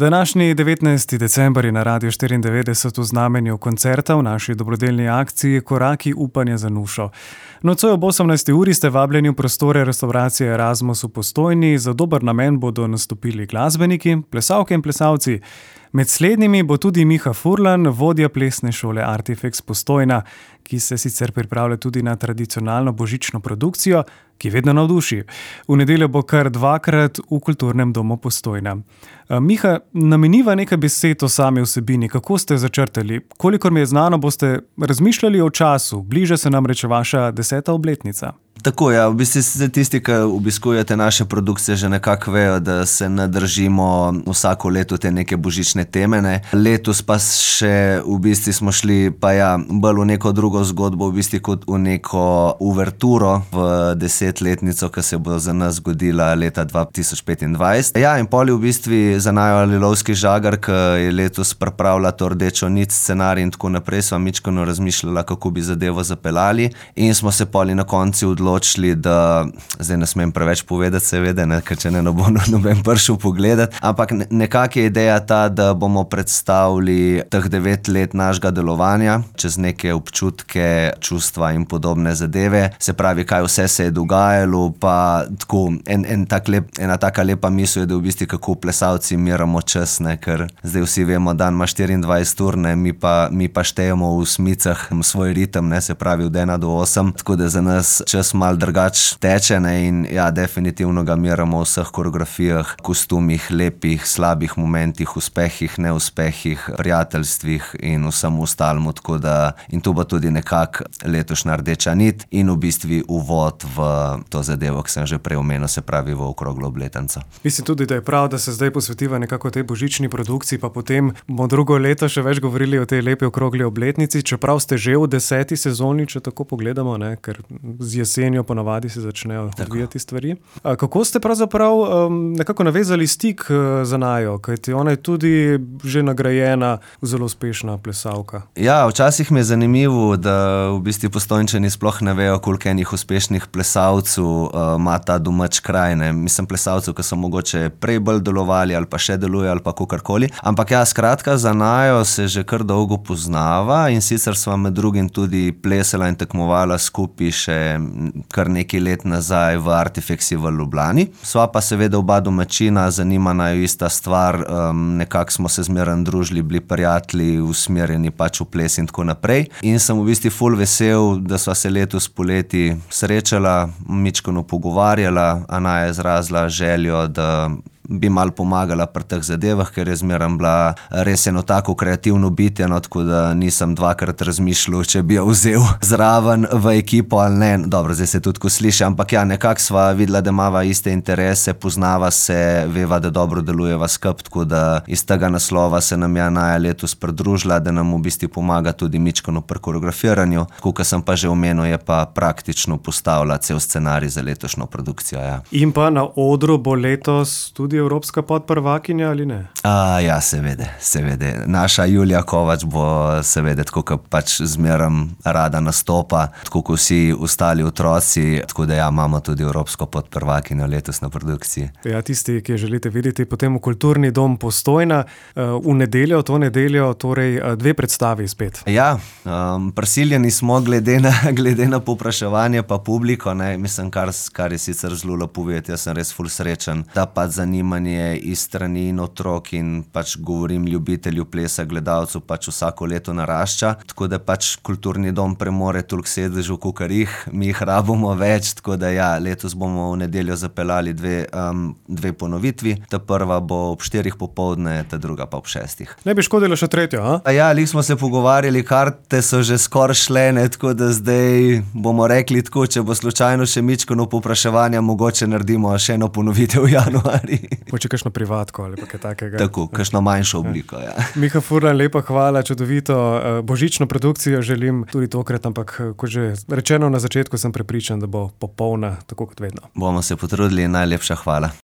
Današnji 19. december je na Radiu 94 v znamenju koncerta v naši dobrodelni akciji Koraki upanja za Nušo. Nocoj ob 18. uri ste vabljeni v prostore restauracije Erasmus v Postojni. Za dober namen bodo nastopili glasbeniki, plesalke in plesalci. Med slednjimi bo tudi Miha Furlan, vodja plesne šole Artifex Postojna, ki se sicer pripravlja tudi na tradicionalno božično produkcijo, ki vedno navduši. V nedeljo bo kar dvakrat v Kulturnem domu Postojna. Miha, nameniva nekaj besed o sami vsebini. Kako ste začrtali? Kolikor mi je znano, boste razmišljali o času. Bliža se namreč vaša 10. obletnica. Tako, ja, v bistvu tisti, ki obiskujete naše produkcije, že nekako vejo, da se ne držimo vsako leto te neke božične teme, ne. Letos pa še v bistvu smo šli pa ja, bolj v neko drugo zgodbo, v bistvu kot v neko uverturo v 10-letnico, ki se bo za nas zgodila leta 2025. Ja, in pol je v bistvu za naju Lilovski žagar, ki je letos pripravila to rdečo nit, scenarij in tako naprej, sva mičkeno razmišljala, kako bi zadevo zapeljali in smo se pol na koncu odločili, da zdaj ne smem preveč povedati, seveda, ne, ker če ne bo noben prišel pogledati, ampak nekako je ideja ta, da bomo predstavili teh 9 let našega delovanja čez neke občutke, čustva in podobne zadeve. Se pravi, kaj vse se je dogajalo, pa tako ena taka lepa misel je, da v bistvu kako plesalci miramo čas, ne, ker zdaj vsi vemo, dan ima 24 ur, ne, mi pa štejemo v smicah svoj ritem, ne, se pravi od 1 do 8, tako da za nas čas malo drugače teče, ne, in ja, definitivno ga miramo v vseh koreografijah, kostumih, lepih, slabih momentih, uspehih, neuspehih, prijateljstvih in vsem ostalem, tako da in to bo tudi nekako letošnja rdeča nit in v bistvu uvod v to zadevo, ki sem že prej omenil, se pravi v okroglo obletnico. Mislim tudi, da je prav, da se zdaj posvetiva nekako tej božični produkciji, pa potem bomo drugo leto še več govorili o tej lepi okrogli obletnici, čeprav ste že v 10. sezoni, če tako pogledamo, ne, ker z jesenjo ponavadi se začnejo odvijati stvari. Kako ste pravzaprav nekako navezali stik za najo, kajti ona je tudi že nagrajena, zelo uspešna plesalka? Ja, včasih mi je zanimivo, da v bistvu Postojnčani sploh ne vejo, koliko enih uspešnih plesalcev ima ta domač kraj, ne. Mislim, plesalcev, ki so mogoče prej bolj delovali ali pa še delujejo ali pa kakorkoli. Ampak ja, skratka, za najo se že kar dolgo poznava in sicer sva med drugim tudi plesala in tekmovala skupaj še kar nekaj let nazaj v Artifexi v Ljubljani. Sva pa seveda oba domačina, zanima naju ista stvar, nekako smo se zmeraj družili, bili prijatelji, usmerjeni pač v ples in tako naprej. In sem v bistvu ful vesel, da sva se letos poleti srečala, mičkeno pogovarjala, Anaja je izrazila željo, da bi malo pomagala pri teh zadevah, ker je zmeraj bila res eno tako kreativno bitje, no, tako da nisem dvakrat razmišljal, če bi jo vzel zraven v ekipo ali ne. Dobro, zdaj se tudi ko sliši, ampak ja, nekako sva videla, da imava iste interese, poznava se, veva, da dobro delujeva skupaj, tako da iz tega naslova se nam je Anaja letos pridružila, da nam v bistvu pomaga tudi mičkeno pri koreografiranju. Tako, kot sem pa že omenil, je pa praktično postavila cel scenarij za letošnjo produkcijo, ja. In pa na odru bo letos tudi evropska podprvakinja ali ne? Ja, seveda. Naša Julija Kovač bo seveda, tako kot pač zmeraj rada nastopa, tako kot vsi ostali otroci, tako da ja, imamo tudi evropsko podprvakinjo letos na produkciji. Ja, tisti, ki želite videti potem v Kulturni dom Postojna, v nedeljo, to nedeljo, torej 2 predstavi spet. Ja, prisiljeni smo glede na povpraševanje pa publiko, ne, mislim, kar je sicer zelo lepo videti, jaz sem res ful srečen, da pa zanimanje iz strani in otrok in pač govorim ljubitelju plesa, gledalcev pač vsako leto narašča, tako da pač Kulturni dom premore toliko sedežev, kakor mi jih rabimo več, tako da ja, letos bomo v nedeljo zapeljali 2 ponovitvi, ta prva bo ob 4 popoldne, ta druga pa ob 6. Ne bi škodilo še tretjo, a? Ja, lih smo se pogovarjali, karte so že skoraj šle, ne, tako da zdaj bomo rekli tako, če bo slučajno še mičkeno povpraševanja, mogoče naredimo še eno ponovitev v januarju. Mogoče kakšno privatko ali pa kaj takega. Tako, kakšno manjšo obliko, ja. Miha Furlan, lepa hvala, čudovito božično produkcijo želim tudi tokrat, ampak kot že rečeno na začetku, sem prepričan, da bo popolna, tako kot vedno. Bomo se potrudili in najlepša hvala.